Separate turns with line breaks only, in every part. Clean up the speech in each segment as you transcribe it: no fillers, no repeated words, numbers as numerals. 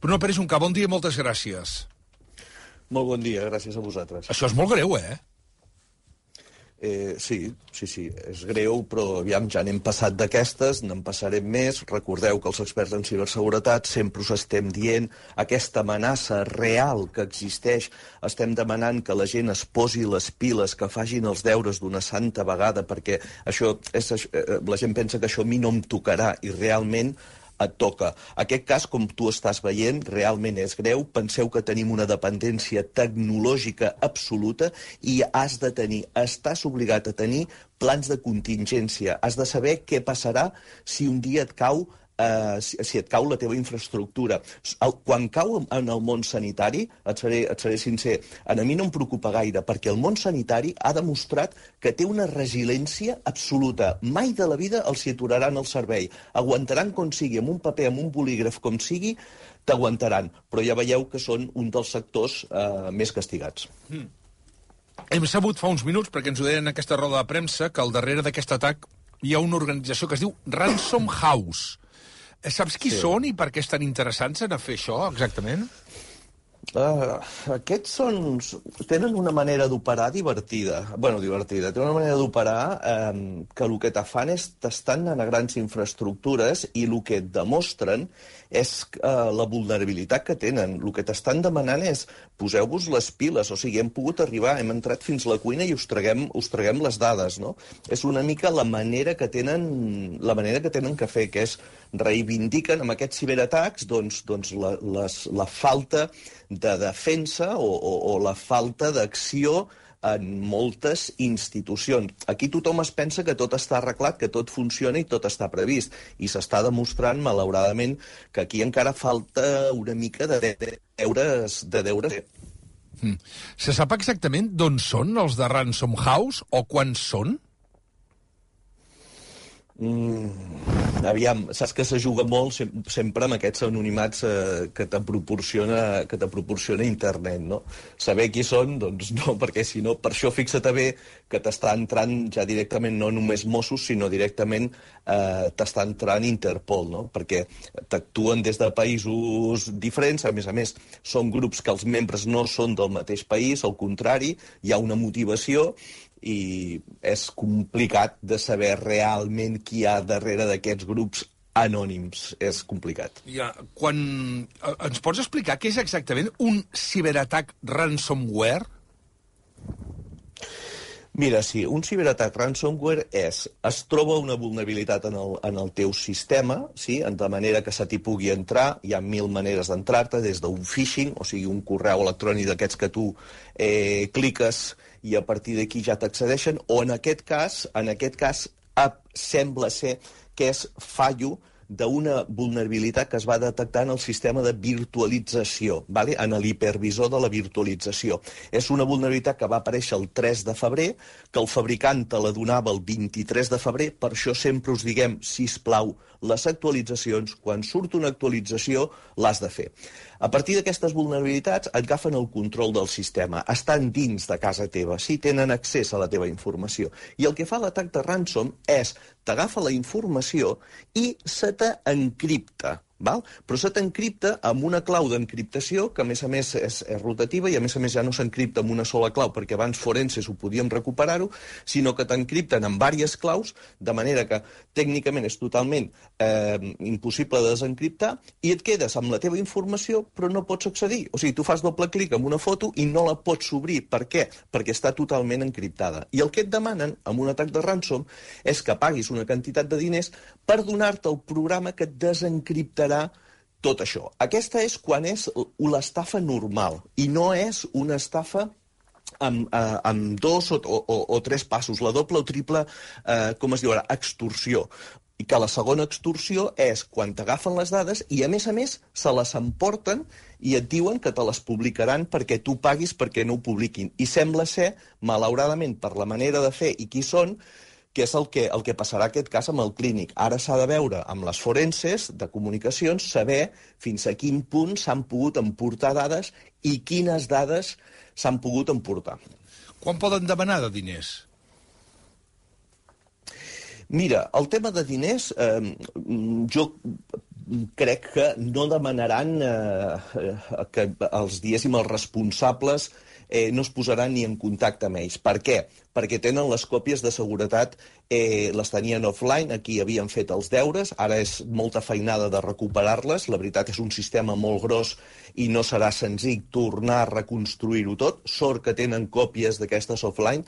Bruno Pérez Juncà, bon dia i moltes gràcies.
Molt bon dia, gràcies a vosaltres.
Això és molt greu, eh?
Sí, és greu, però aviam, ja n'hem passat d'aquestes, n'en passarem més. Recordeu que els experts en ciberseguretat sempre us estem dient aquesta amenaça real que existeix. Estem demanant que la gent es posi les piles, que facin els deures d'una santa vegada, perquè la gent pensa que això a mi no em tocarà, i realment et toca. Aquest cas, com tu estàs veient, realment és greu. Penseu que tenim una dependència tecnològica absoluta i estàs obligat a tenir plans de contingència. Has de saber què passarà si un dia et cau la teva infraestructura. Quan cau en el món sanitari, et seré sincer, a mi no em preocupa gaire, perquè el món sanitari ha demostrat que té una resiliència absoluta. Mai de la vida els hi aturaran el servei. Aguantaran com sigui, amb un paper, amb un bolígraf, com sigui, t'aguantaran. Però ja veieu que són un dels sectors més castigats.
Hem sabut fa uns minuts, perquè ens ho deien en aquesta roda de premsa, que al darrere d'aquest atac hi ha una organització que es diu Ransom House. Saps qui són i per què estan interessants en fer això, exactament?
Aquests tenen una manera d'operar divertida. Tenen una manera d'operar que el que te fan és t'estan a grans infraestructures i el que et demostren és la vulnerabilitat que tenen. El que t'estan demanant és poseu-vos les piles, o sigui, hem pogut arribar, hem entrat fins a la cuina i us traguem les dades, no? És una mica la manera que tenen que fer, que és reivindiquen amb aquests ciberatacs la falta de defensa o la falta d'acció en moltes institucions. Aquí tothom es pensa que tot està arreglat, que tot funciona i tot està previst. I s'està demostrant, malauradament, que aquí encara falta una mica de deures.
Se sap exactament d'on són els de Ransom House o quan són?
Aviam, saps que se juga molt sempre amb aquests anonimats que te proporciona internet, no? Saber qui són, doncs no, perquè si no, per això fixa't bé que t'està entrant ja directament no només Mossos, sinó directament t'està entrant Interpol, no? Perquè t'actuen des de països diferents, a més, són grups que els membres no són del mateix país, al contrari, hi ha una motivació i és complicat de saber realment qui hi ha darrere d'aquests grups anònims. És complicat.
Ens pots explicar què és exactament un ciberatac ransomware?
Mira, sí, un ciberatac ransomware es troba una vulnerabilitat en el teu sistema, sí? De manera que se t'hi pugui entrar. Hi ha 1000 maneres d'entrar-te, des d'un phishing, o sigui, un correu electrònic d'aquests que tu cliques i a partir d'aquí ja t'accedeixen, o en aquest cas sembla ser que és fallo d'una vulnerabilitat que es va detectar en el sistema de virtualització, ¿vale? En l'hipervisor de la virtualització. És una vulnerabilitat que va aparèixer el 3 de febrer, que el fabricant te la donava el 23 de febrer, per això sempre us diguem, sisplau, les actualitzacions, quan surt una actualització, l'has de fer. A partir d'aquestes vulnerabilitats agafen el control del sistema, estan dins de casa teva, sí, tenen accés a la teva informació. I el que fa l'atac de ransom és t'agafa la informació i se t'encripta. Però se t'encripta amb una clau d'encriptació que, a més, és rotativa i, a més, ja no s'encripta amb una sola clau, perquè abans forenses ho podíem recuperar-ho, sinó que t'encripten amb diverses claus, de manera que tècnicament és totalment impossible de desencriptar, i et quedes amb la teva informació però no pots accedir. O sigui, tu fas doble clic en una foto i no la pots obrir. Per què? Perquè està totalment encriptada. I el que et demanen amb un atac de ransom és que paguis una quantitat de diners per donar-te el programa que et desencriptarà tot això. Aquesta és quan és l'estafa normal i no és una estafa amb 2 o 3 passos, la doble o triple, com es diu ara, extorsió. I que la segona extorsió és quan t'agafen les dades i, a més, se les emporten i et diuen que te les publicaran perquè tu paguis perquè no ho publiquin. I sembla ser, malauradament, per la manera de fer i qui són, que és el que passarà aquest cas amb el clínic. Ara s'ha de veure amb les forenses de comunicacions, saber fins a quin punt s'han pogut emportar dades i quines dades s'han pogut emportar.
Quan poden demanar de diners?
Mira, el tema de diners, jo crec que no demanaran que els responsables no es posaran ni en contacte amb ells. Per què? Perquè tenen les còpies de seguretat, les tenien offline, aquí havien fet els deures, ara és molta feinada de recuperar-les, la veritat és un sistema molt gros i no serà senzill tornar a reconstruir-ho tot, sort que tenen còpies d'aquestes offline,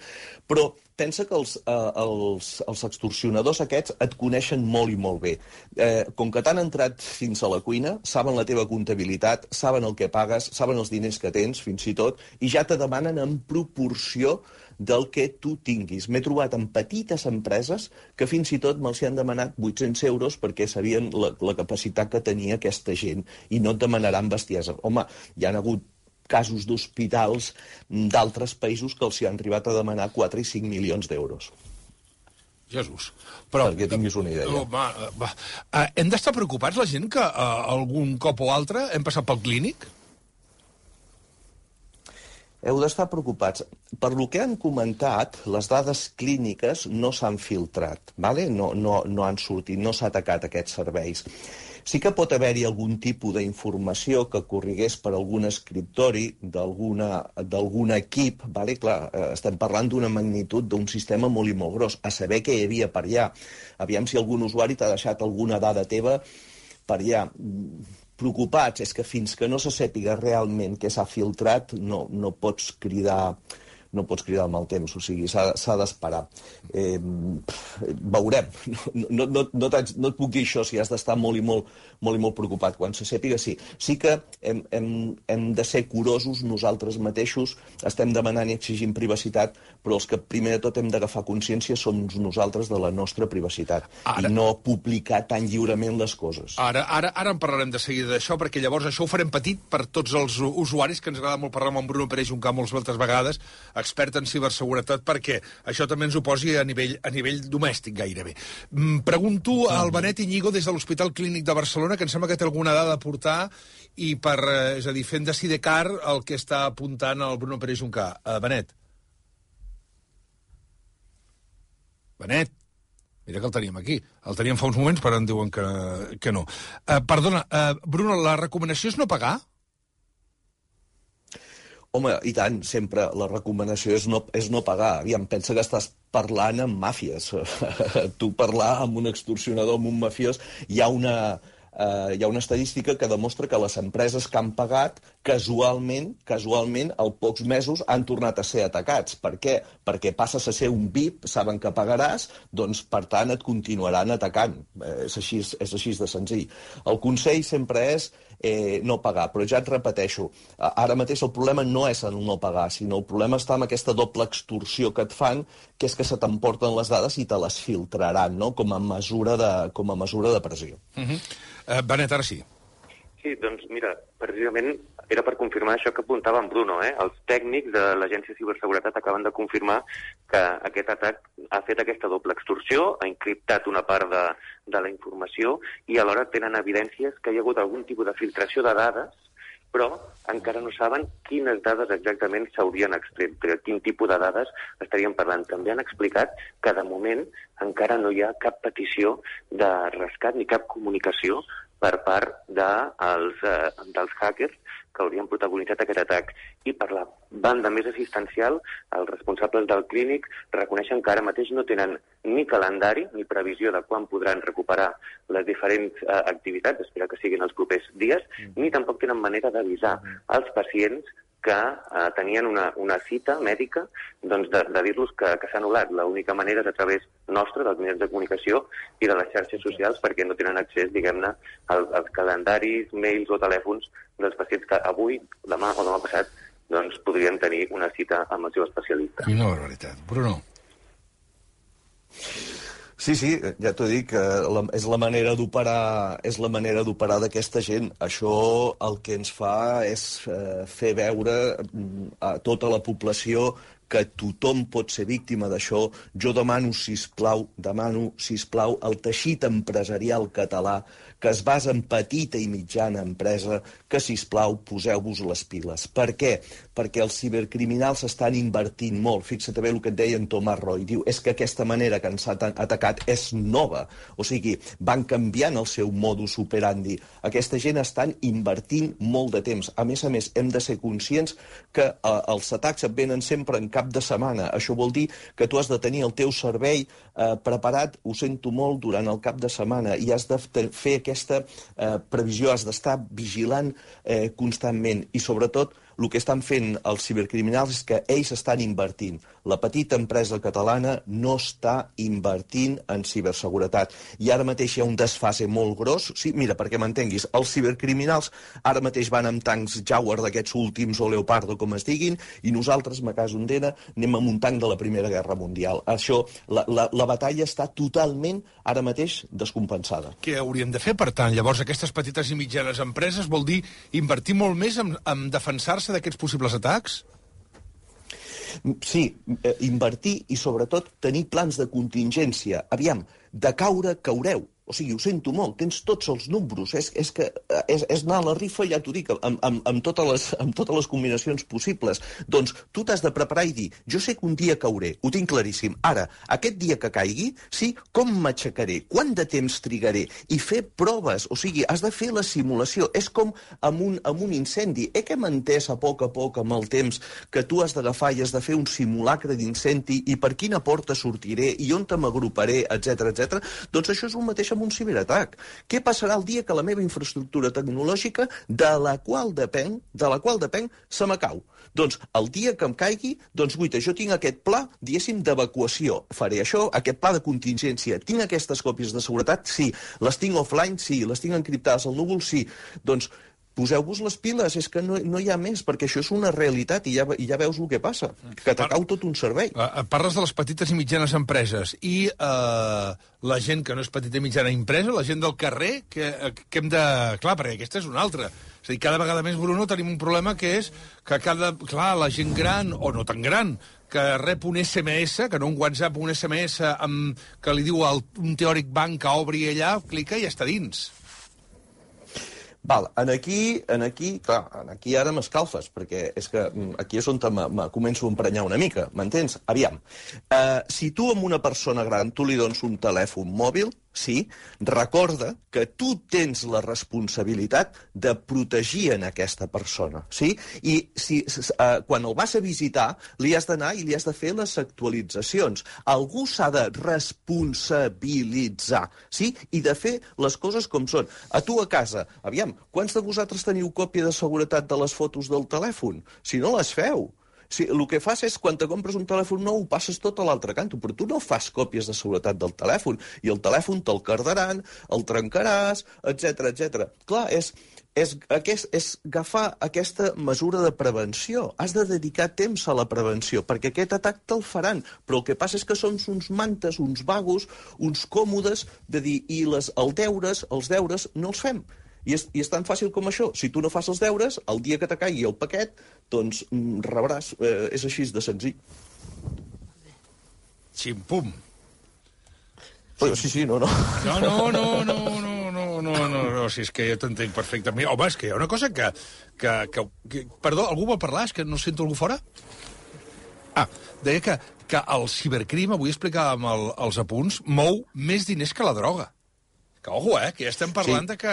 però pensa que els extorsionadors aquests et coneixen molt i molt bé. Com que t'han entrat fins a la cuina, saben la teva comptabilitat, saben el que pagues, saben els diners que tens, fins i tot, i ja te demanen en proporció del que tu tinguis. M'he trobat en petites empreses que fins i tot me'ls han demanat 800 euros perquè sabien la capacitat que tenia aquesta gent i no et demanaran bestiesa. Home, hi ha hagut casos d'hospitals d'altres països que els hi han arribat a demanar 4 i 5 milions d'euros.
Jesús. Però,
perquè tinguis una idea.
Hem d'estar preocupats, la gent, que algun cop o altre hem passat pel clínic?
Heu d'estar preocupats. Per lo que han comentat, les dades clíniques no s'han filtrat, ¿vale? No han sortit, no s'ha atacat aquests serveis. Sí que pot haver-hi algun tipus d'informació que corrigués per algun escriptori d'algun equip, ¿vale? Clar, estem parlant d'una magnitud d'un sistema molt i molt gros, a saber què hi havia per allà. Aviam si algun usuari t'ha deixat alguna dada teva per allà. Preocupats és que fins que no se sàpiga realment què s'ha filtrat no pots cridar el mal temps, o sigui, s'ha d'esperar. Veurem. No et puc dir això si has d'estar molt i molt preocupat. Quan se sàpiga, sí. Sí que hem de ser curosos nosaltres mateixos, estem demanant i exigint privacitat, però els que primer de tot hem d'agafar consciència som nosaltres de la nostra privacitat i no publicar tan lliurement les coses.
Ara en parlarem de seguida d'això, perquè llavors això ho farem petit per tots els usuaris, que ens agrada molt parlar amb en Bruno Pérez Juncà moltes vegades, expert en ciberseguretat, perquè això també ens ho posi a nivell domèstic gairebé. Pregunto al Benet Iñigo des de l'Hospital Clínic de Barcelona, que em sembla que té alguna dada a aportar, i és a dir, fent de sidecar el que està apuntant el Bruno Pérez Juncà. Benet, mira que el teníem aquí. El teníem fa uns moments, però em diuen que no. Perdona, Bruno, la recomanació és no pagar?
Home, i tant, sempre la recomanació és no pagar. Aviam, pensa que estàs parlant amb màfies. Tu parlar amb un extorsionador, amb un mafiós, hi ha una estadística que demostra que les empreses que han pagat, casualment, al pocs mesos han tornat a ser atacats. Per què? Perquè passes a ser un VIP, saben que pagaràs, doncs, per tant, et continuaran atacant. És així de senzill. El consell sempre és no pagar, però ja et repeteixo, ara mateix el problema no és el no pagar, sinó el problema està en aquesta doble extorsió que et fan, que és que se t'emporten les dades i te les filtraran, no? com a mesura de pressió.
Benet, ara sí.
Sí, doncs mira, precisament era per confirmar això que apuntava en Bruno. Els tècnics de l'Agència de Ciberseguretat acaben de confirmar que aquest atac ha fet aquesta doble extorsió, ha encriptat una part de la informació i alhora tenen evidències que hi ha hagut algun tipus de filtració de dades, però encara no saben quines dades exactament s'haurien extret, però quin tipus de dades estaríem parlant. També han explicat que de moment encara no hi ha cap petició de rescat ni cap comunicació per part dels hackers que haurien protagonitzat aquest atac. I per la banda més assistencial, els responsables del clínic reconeixen que ara mateix no tenen ni calendari ni previsió de quan podran recuperar les diferents activitats, espero que siguin els propers dies, ni tampoc tenen manera d'avisar als pacients que tenien una cita mèdica, doncs de dir-los que s'ha anul·lat. L'única manera és a través nostra, dels mitjans de comunicació i de les xarxes socials, perquè no tenen accés, diguem-ne, als calendaris, mails o telèfons dels pacients que avui, demà o demà passat, doncs podrien tenir una cita amb el seu especialista.
Quina barbaritat. Bruno.
Sí, ja t'ho dic, és la manera d'operar d'aquesta gent. Això el que ens fa és fer veure a tota la població que tothom pot ser víctima d'això. Jo demano, sisplau, al teixit empresarial català que es basa en petita i mitjana empresa, que, sisplau, poseu-vos les piles. Per què? Perquè els cibercriminals estan invertint molt. Fixa't bé el que et deia en Tomàs Roy. Diu, és que aquesta manera que ens ha atacat és nova. O sigui, van canviant el seu modus operandi. Aquesta gent estan invertint molt de temps. A més, hem de ser conscients que els atacs et venen sempre en cap de setmana. Això vol dir que tu has de tenir el teu servei preparat, ho sento molt, durant el cap de setmana, i has de fer aquesta previsió, has d'estar vigilant constantment. I sobretot, el que estan fent els cibercriminals és que ells estan invertint. La petita empresa catalana no està invertint en ciberseguretat. I ara mateix hi ha un desfase molt gros. Sí, mira, perquè m'entenguis, els cibercriminals ara mateix van amb tancs Jaguar d'aquests últims o Leopardo, com es diguin, i nosaltres, a casa Ondena, anem amb un tanc de la Primera Guerra Mundial. Això, la batalla està totalment, ara mateix, descompensada.
Què hauríem de fer, per tant? Llavors, aquestes petites i mitjanes empreses vol dir invertir molt més en defensar-se d'aquests possibles atacs?
Sí, invertir i, sobretot, tenir plans de contingència. Aviam, de caure, caureu. O sigui, ho sento molt, tens tots els números. És que és anar a la rifa, ja t'ho dic, amb totes les combinacions possibles. Doncs tu t'has de preparar i dir, jo sé que un dia cauré, ho tinc claríssim. Ara, aquest dia que caigui, sí, com m'aixecaré? Quant de temps trigaré? I fer proves, o sigui, has de fer la simulació. És com amb un incendi. Que hem entès a poc amb el temps que tu has d'agafar i has de fer un simulacre d'incendi i per quina porta sortiré i on te m'agruparé, etc. Doncs això és un mateix amb un ciberatac. Què passarà el dia que la meva infraestructura tecnològica, de la qual depenc, se m'acau? Doncs el dia que em caigui, doncs guaita, jo tinc aquest pla, diguéssim, d'evacuació. Faré això, aquest pla de contingència. Tinc aquestes còpies de seguretat? Sí. Les tinc offline? Sí. Les tinc encriptades al núvol? Sí. Doncs poseu-vos les piles, és que no hi ha més, perquè això és una realitat i ja veus el que passa, que t'acau tot un servei.
Parles de les petites i mitjanes empreses i la gent que no és petita i mitjana empresa, la gent del carrer, que hem de... Clar, perquè aquesta és una altra. És a dir, cada vegada més, Bruno, tenim un problema que és que clar, la gent gran, o no tan gran, que rep un SMS, que no un WhatsApp, un SMS que li diu a un teòric banc que obri allà, clica i ja està dins.
Val, aquí ara m'escalfes, perquè és que aquí és on començo a emprenyar una mica, m'entens? Aviam, si tu amb una persona gran tu li dones un telèfon mòbil, sí, recorda que tu tens la responsabilitat de protegir en aquesta persona, sí? I quan el vas a visitar li has d'anar i li has de fer les actualitzacions. Algú s'ha de responsabilitzar, sí? I de fer les coses com són. A tu a casa, aviam, quants de vosaltres teniu còpia de seguretat de les fotos del telèfon? Si no les feu. Sí, el que fas és, quan te compres un telèfon nou, ho passes tot a l'altre canto, però tu no fas còpies de seguretat del telèfon, i el telèfon te'l cardaran, el trencaràs, etc. Clar, és agafar aquesta mesura de prevenció. Has de dedicar temps a la prevenció, perquè aquest atac te'l faran, però el que passa és que som uns mantes, uns vagos, uns còmodes, de dir, i els deures no els fem. I és tan fàcil com això. Si tu no fas els deures, el dia que te caigui el paquet, doncs rebràs. És així de senzill.
Ximpum.
Sí, no.
No, si és que jo t'entenc perfectament. Home, és que hi ha una cosa que... Perdó, algú vol parlar? És que no sento algú fora? Deia que el cibercrim, avui explicàvem els apunts, mou més diners que la droga. Que, ojo, que ja estem parlant de que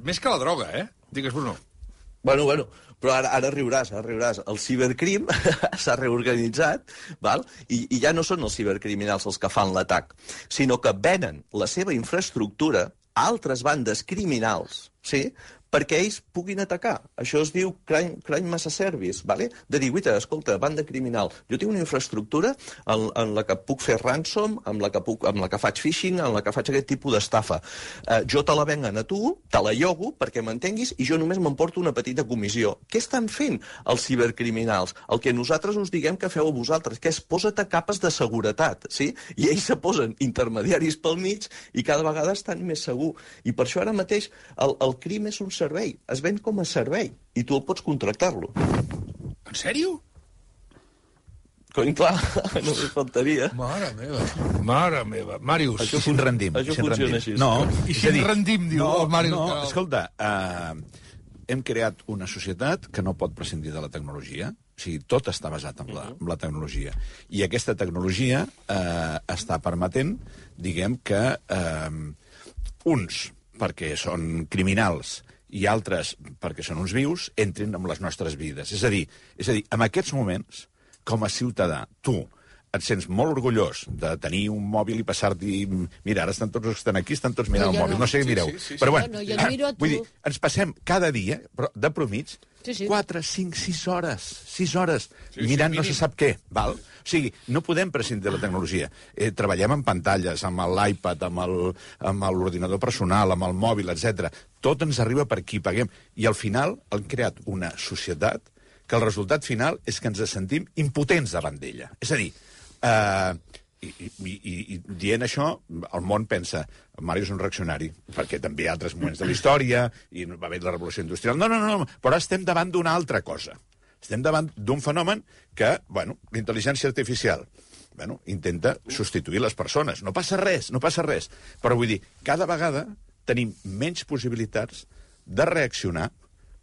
més que la droga, Digues, Bruno.
Bueno, però ara riuràs. El cibercrim s'ha reorganitzat, val? I ja no són els cibercriminals els que fan l'atac, sinó que venen la seva infraestructura a altres bandes criminals, sí?, perquè ells puguin atacar. Això es diu crime as a service, ¿vale? De dir, escolta, banda criminal, jo tinc una infraestructura en la que puc fer ransom, amb la que faig phishing, en la que faig aquest tipus d'estafa. Jo te la venguen a tu, te la llogo perquè m'entenguis i jo només m'emporto una petita comissió. Què estan fent els cibercriminals? El que nosaltres us diguem que feu a vosaltres, que és posa't a capes de seguretat, sí? I ells se posen intermediaris pel mig i cada vegada estan més segur. I per això ara mateix el crim és un servei, es ven com a servei, i tu el pots contractar-lo.
En sèrio?
Clar, només faltaria.
Mare meva. Màrius.
I si ens rendim?
Això funciona així.
No,
I si ens rendim, diu el Màrius.
No, escolta, hem creat una societat que no pot prescindir de la tecnologia. O sigui, tot està basat en la tecnologia. I aquesta tecnologia està permetent, diguem que uns, perquè són criminals, i altres, perquè són uns vius, entrin en les nostres vides. És a dir, en aquests moments, com a ciutadà, tu et sents molt orgullós de tenir un mòbil i passar-t'hi... Mira, ara estan tots els que estan aquí, estan tots mirant el mòbil, no sé què mireu. Però bueno, vull dir, ens passem cada dia, de promig, 4, 5, 6 hores mirant no se sap què, val? O sigui, no podem prescindir de la tecnologia. Treballem amb pantalles, amb l'iPad, amb l'ordinador personal, amb el mòbil, etc. Tot ens arriba per aquí, paguem. I al final han creat una societat que el resultat final és que ens sentim impotents davant d'ella. És a dir, i dient això, el món pensa Mario és un reaccionari, perquè també hi ha altres moments de la història, i va haver la revolució industrial. No, però estem davant d'una altra cosa. Estem davant d'un fenomen que, bueno, l'intel·ligència artificial, bueno, intenta substituir les persones. No passa res. Però vull dir, cada vegada tenim menys possibilitats de reaccionar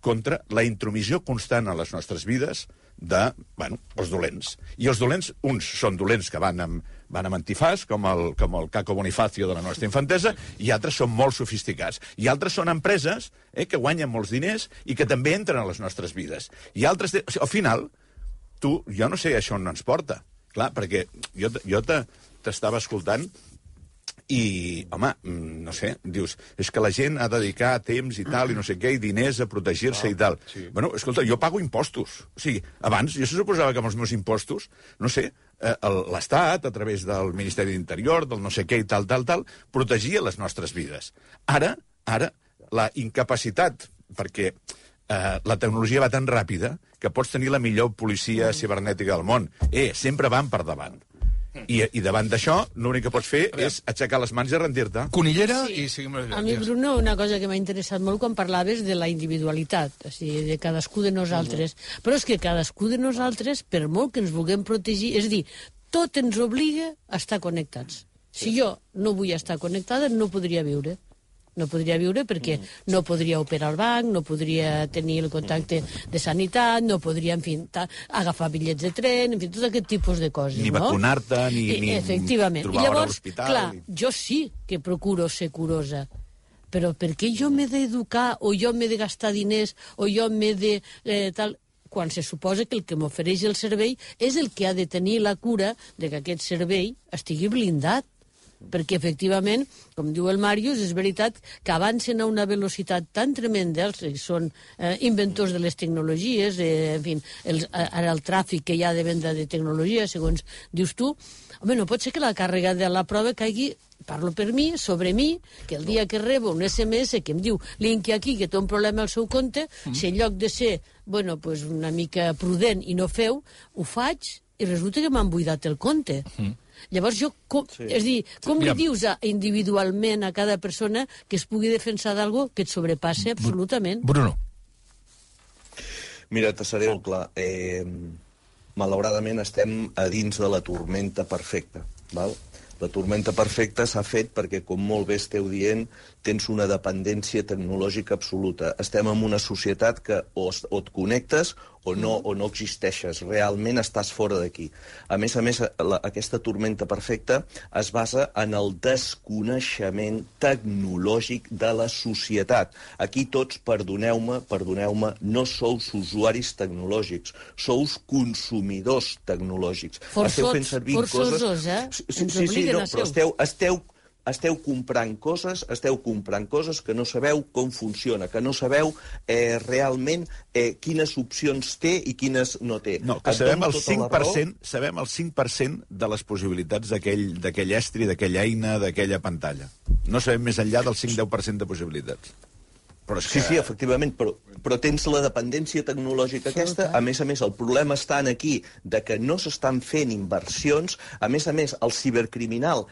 contra la intromissió constant a les nostres vides de, bueno, els dolents. I els dolents, uns són dolents que van amb antifàs, com el Caco Bonifacio de la nostra infantesa, i altres són molt sofisticats. I altres són empreses que guanyen molts diners i que també entren a les nostres vides. I altres... O sigui, al final, jo no sé això on ens porta. Clar, perquè jo t'estava escoltant i, home, no sé, dius, és que la gent ha de dedicar temps i tal, i no sé què, i diners a protegir-se i tal. Sí. Bueno, escolta, jo pago impostos. O sigui, abans jo se suposava que amb els meus impostos, no sé, l'Estat, a través del Ministeri d'Interior, del no sé què i tal, protegia les nostres vides. Ara, la incapacitat, perquè la tecnologia va tan ràpida que pots tenir la millor policia cibernètica del món. Sempre van per davant. I davant d'això, l'únic que pots fer és aixecar les mans i rendir-te.
Conillera i seguim...
A mi, Bruno, una cosa que m'ha interessat molt quan parlaves de la individualitat, o sigui, de cadascú de nosaltres. Però és que cadascú de nosaltres, per molt que ens vulguem protegir, és a dir, tot ens obliga a estar connectats. Si jo no vull estar connectada, no podria viure. No podria viure perquè no podria operar al banc, no podria tenir el contacte de sanitat, no podria, en fi, agafar bitllets de tren, en fi, tot aquest tipus de coses.
Ni vacunar-te, ni trobar hora a l'hospital.
Clar, jo sí que procuro ser curosa, però per què jo m'he d'educar, o jo m'he de gastar diners, o jo m'he de... tal, quan se suposa que el que m'ofereix el servei és el que ha de tenir la cura de que aquest servei estigui blindat. Perquè, efectivament, com diu el Màrius, és veritat que avancen a una velocitat tan tremenda, són inventors de les tecnologies, en fi, ara el tràfic que hi ha de venda de tecnologia, segons dius tu, home, no pot ser que la càrrega de la prova caigui, parlo per mi, sobre mi, que el dia que rebo un SMS que em diu linki aquí, que té un problema al seu compte, si en lloc de ser, bueno, pues una mica prudent i no feu, ho faig i resulta que m'han buidat el compte. Llavors jo, és dir, com li dius individualment a cada persona que es pugui defensar d'algo que et sobrepassa absolutament?
Bruno.
Mira, te seré molt clar. Malauradament estem a dins de la tormenta perfecta, val? La tormenta perfecta s'ha fet perquè, com molt bé esteu dient, tens una dependència tecnològica absoluta. Estem en una societat que o et connectes o no existeixes. Realment estàs fora d'aquí. A més, aquesta tormenta perfecta es basa en el desconeixement tecnològic de la societat. Aquí tots, perdoneu-me, no sous usuaris tecnològics, sous consumidors tecnològics.
Forçosos, eh?
Sí, no, però esteu comprant coses que no sabeu com funciona, que no sabeu realment quines opcions té i quines no té.
No, que sabem el 5% de les possibilitats d'aquell estri, d'aquella eina, d'aquella pantalla. No sabem més enllà del 5-10% de possibilitats.
Sí, efectivament, però tens la dependència tecnològica aquesta. A més, el problema està aquí de que no s'estan fent inversions. A més, el cibercriminal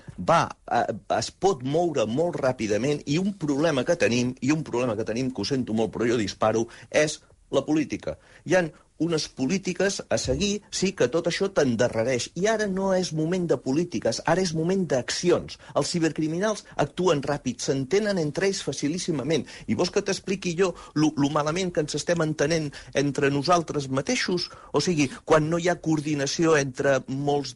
es pot moure molt ràpidament i un problema que tenim, que ho sento molt, però jo disparo, és la política. Hi ha unes polítiques a seguir, sí que tot això t'endarrereix. I ara no és moment de polítiques, ara és moment d'accions. Els cibercriminals actuen ràpid, s'entenen entre ells facilíssimament. I vols que t'expliqui jo lo malament que ens estem entenent entre nosaltres mateixos? O sigui, quan no hi ha coordinació entre molts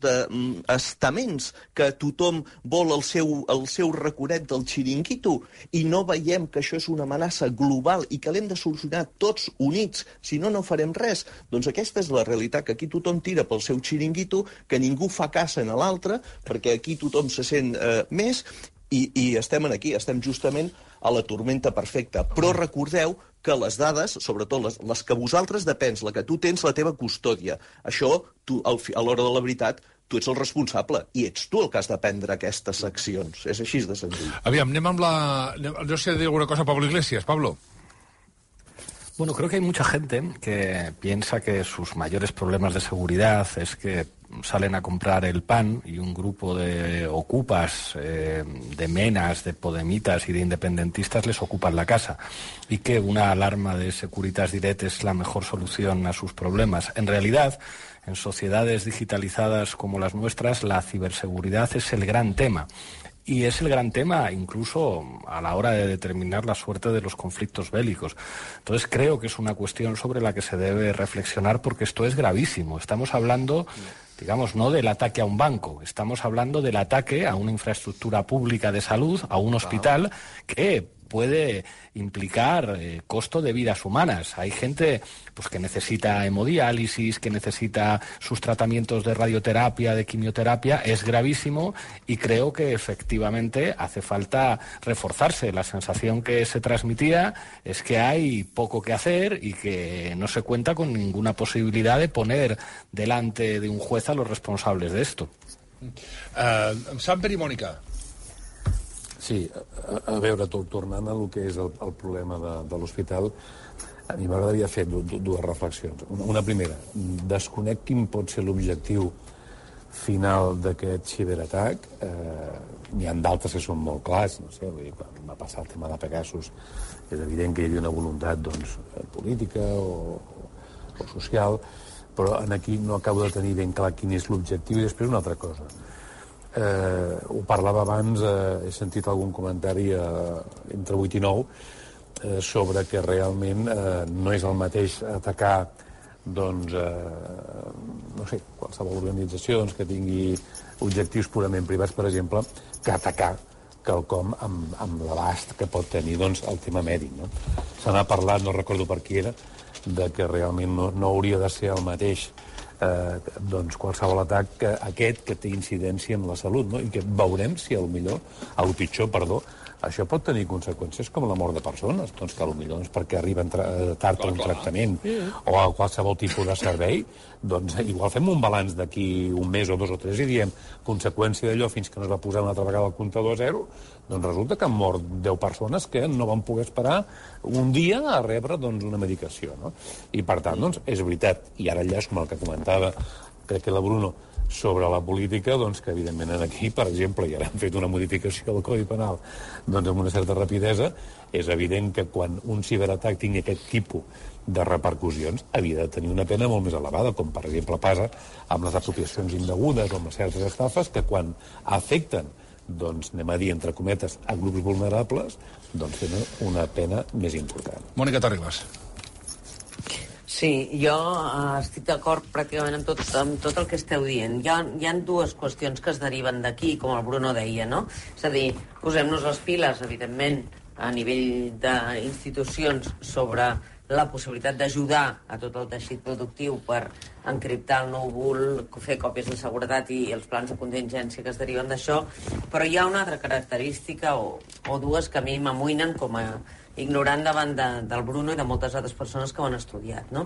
estaments, que tothom vol el seu raconet del xiringuito, i no veiem que això és una amenaça global i que l'hem de solucionar tots units, si no, no farem res. Doncs aquesta és la realitat, que aquí tothom tira pel seu xiringuito, que ningú fa caça en l'altre, perquè aquí tothom se sent més, i estem aquí, estem justament a la tormenta perfecta. Però recordeu que les dades, sobretot les que vosaltres depens, la que tu tens la teva custòdia, això, tu, a l'hora de la veritat, tu ets el responsable, i ets tu el que has de prendre aquestes accions. És així de senzill.
Aviam, anem amb la... No sé dir alguna cosa a Pablo Iglesias. Pablo.
Bueno, creo que hay mucha gente que piensa que sus mayores problemas de seguridad es que salen a comprar el pan y un grupo de ocupas, de menas, de podemitas y de independentistas les ocupan la casa, y que una alarma de Securitas Direct es la mejor solución a sus problemas. En realidad, en sociedades digitalizadas como las nuestras, la ciberseguridad es el gran tema. Y es el gran tema incluso a la hora de determinar la suerte de los conflictos bélicos. Entonces creo que es una cuestión sobre la que se debe reflexionar, porque esto es gravísimo. Estamos hablando, digamos, no del ataque a un banco, estamos hablando del ataque a una infraestructura pública de salud, a un hospital, que puede implicar costo de vidas humanas. Hay gente pues que necesita hemodiálisis, que necesita sus tratamientos de radioterapia, de quimioterapia. Es gravísimo, y creo que efectivamente hace falta reforzarse. La sensación que se transmitía es que hay poco que hacer y que no se cuenta con ninguna posibilidad de poner delante de un juez a los responsables de esto.
Samper i Mònica.
Sí, a veure, tornant al que és el problema de l'hospital, a mi m'agradaria fer dues reflexions. Una primera, desconec quin pot ser l'objectiu final d'aquest ciberatac. N'hi ha d'altres que són molt clars, no sé, vull dir, quan va passar el tema de Pegasus és evident que hi havia una voluntat, doncs, política o social, però aquí no acabo de tenir ben clar quin és l'objectiu. I després una altra cosa. Ho parlava abans, he sentit algun comentari entre 8 i 9 sobre que realment no és el mateix atacar, doncs, no sé, qualsevol organització que tingui objectius purament privats, per exemple, que atacar quelcom amb l'abast que pot tenir, doncs, el tema mèdic, no? Se n'ha parlat, no recordo per qui era, de que realment no hauria de ser el mateix doncs qualsevol atac que aquest que té incidència en la salut, no? I que veurem si el pitjor, això pot tenir conseqüències com la mort de persones, doncs que potser perquè arriben tard a un tractament o a qualsevol tipus de servei, doncs igual fem un balanç d'aquí un mes o 2 o 3 i diem conseqüència d'allò fins que no es va posar una altra vegada el comptador a zero, doncs resulta que han mort 10 persones que no van poder esperar un dia a rebre, doncs, una medicació, no? I per tant, doncs, és veritat, i ara enllaç com el que comentava, crec que la Bruno, sobre la política, doncs que evidentment aquí, per exemple, i ara han fet una modificació del Codi Penal doncs amb una certa rapidesa, és evident que quan un ciberatac tingui aquest tipus de repercussions havia de tenir una pena molt més elevada, com per exemple passa amb les apropiacions indegudes o amb certes estafes, que quan afecten, doncs anem a dir, entre cometes, a grups vulnerables, doncs tenen una pena més important.
Mònica Terribas.
Sí, jo estic d'acord pràcticament amb tot el que esteu dient. Hi ha dues qüestions que es deriven d'aquí, com el Bruno deia, no? És a dir, posem-nos les piles, evidentment, a nivell d'institucions sobre la possibilitat d'ajudar a tot el teixit productiu per encriptar el núvol, fer còpies de seguretat i els plans de contingència que es deriven d'això, però hi ha una altra característica o dues que a mi m'amoïnen com a ignorant davant del Bruno i de moltes altres persones que ho han estudiat, no?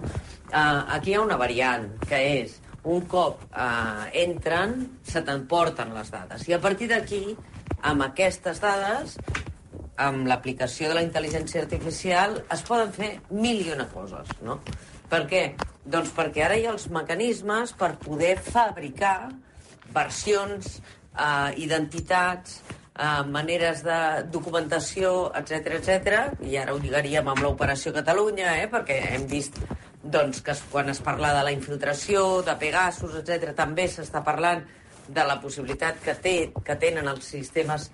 Aquí hi ha una variant, que és un cop entren, se t'emporten les dades, i a partir d'aquí, amb aquestes dades, amb l'aplicació de la intel·ligència artificial, es poden fer mil i una coses, no? Per què? Doncs perquè ara hi ha els mecanismes per poder fabricar versions, identitats, maneres de documentació, etc, i ara ho lligaríem amb l'Operació Catalunya, perquè hem vist doncs, que quan es parla de la infiltració, de Pegasus, etc., també s'està parlant de la possibilitat que tenen els sistemes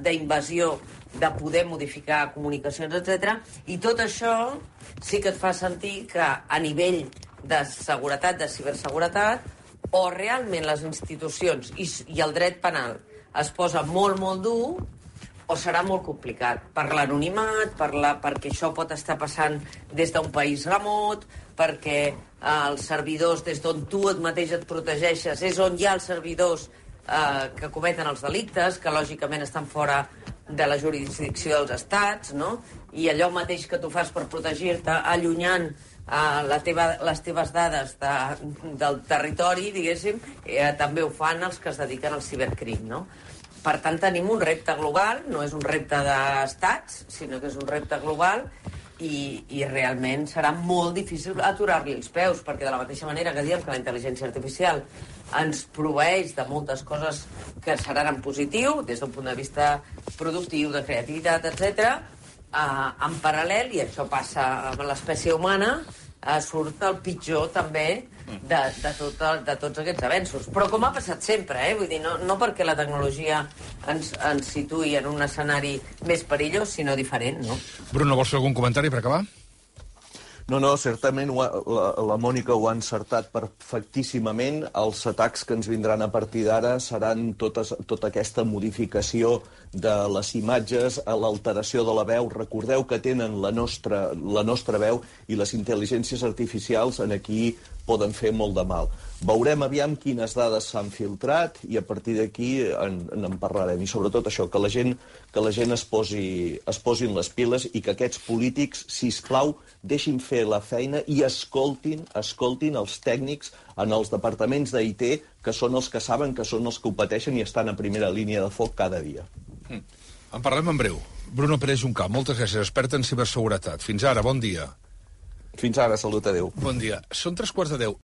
d'invasió de poder modificar comunicacions, etc. I tot això sí que et fa sentir que a nivell de seguretat, de ciberseguretat, o realment les institucions i el dret penal es posa molt, molt dur, o serà molt complicat per l'anonimat, perquè això pot estar passant des d'un país remot, perquè els servidors des d'on tu mateix et protegeixes és on hi ha els servidors que cometen els delictes, que lògicament estan fora de la jurisdicció dels estats, no? I allò mateix que tu fas per protegir-te, allunyant les teves dades del territori, diguéssim, també ho fan els que es dediquen al cibercrim, no? Per tant, tenim un repte global, no és un repte d'estats, sinó que és un repte global i realment serà molt difícil aturar-li els peus, perquè de la mateixa manera que diem que la intel·ligència artificial ens proveeix de moltes coses que seran en positiu, des d'un punt de vista productiu, de creativitat, etc., en paral·lel, i això passa amb l'espècie humana, surt el pitjor també de tots aquests avenços. Però com ha passat sempre, vull dir, no perquè la tecnologia ens situï en un escenari més perillós, sinó diferent, no?
Bruno, vols fer algun comentari per acabar?
No, certament la Mònica ho ha encertat perfectíssimament. Els atacs que ens vindran a partir d'ara seran tota aquesta modificació de les imatges, l'alteració de la veu. Recordeu que tenen la nostra veu i les intel·ligències artificials en aquí poden fer molt de mal. Veurem aviam quines dades s'han filtrat i a partir d'aquí en parlarem. I sobretot això, que la gent es posin les piles i que aquests polítics, sisplau, deixin fer la feina i escoltin els tècnics en els departaments d'IT, que són els que saben, que són els que ho pateixen i estan a primera línia de foc cada dia.
En parlem en breu. Bruno Pérez Juncà, moltes gràcies, expert en ciberseguretat. Fins ara, bon dia.
Fins ara, salut, adéu.
Bon dia. Són 3:15.